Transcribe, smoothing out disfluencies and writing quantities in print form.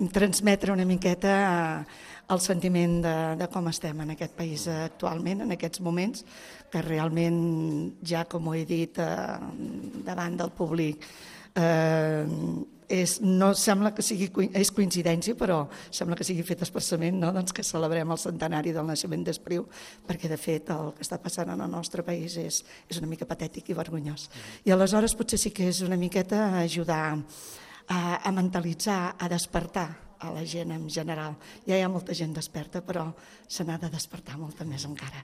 transmetre una miqueta el sentiment de com estem en aquest país actualment, en aquests moments, que realment ja, com ho he dit davant del públic, no sembla que és coincidència, però sembla que sigui fet expressament, doncs que celebrem el centenari del naixement d'Espriu, perquè de fet el que està passant en el nostre país és una mica patètic i vergonyós. I aleshores potser sí que és una miqueta ajudar a mentalitzar, a despertar a la gent en general. Ja hi ha molta gent desperta, però se n'ha de despertar molta més encara.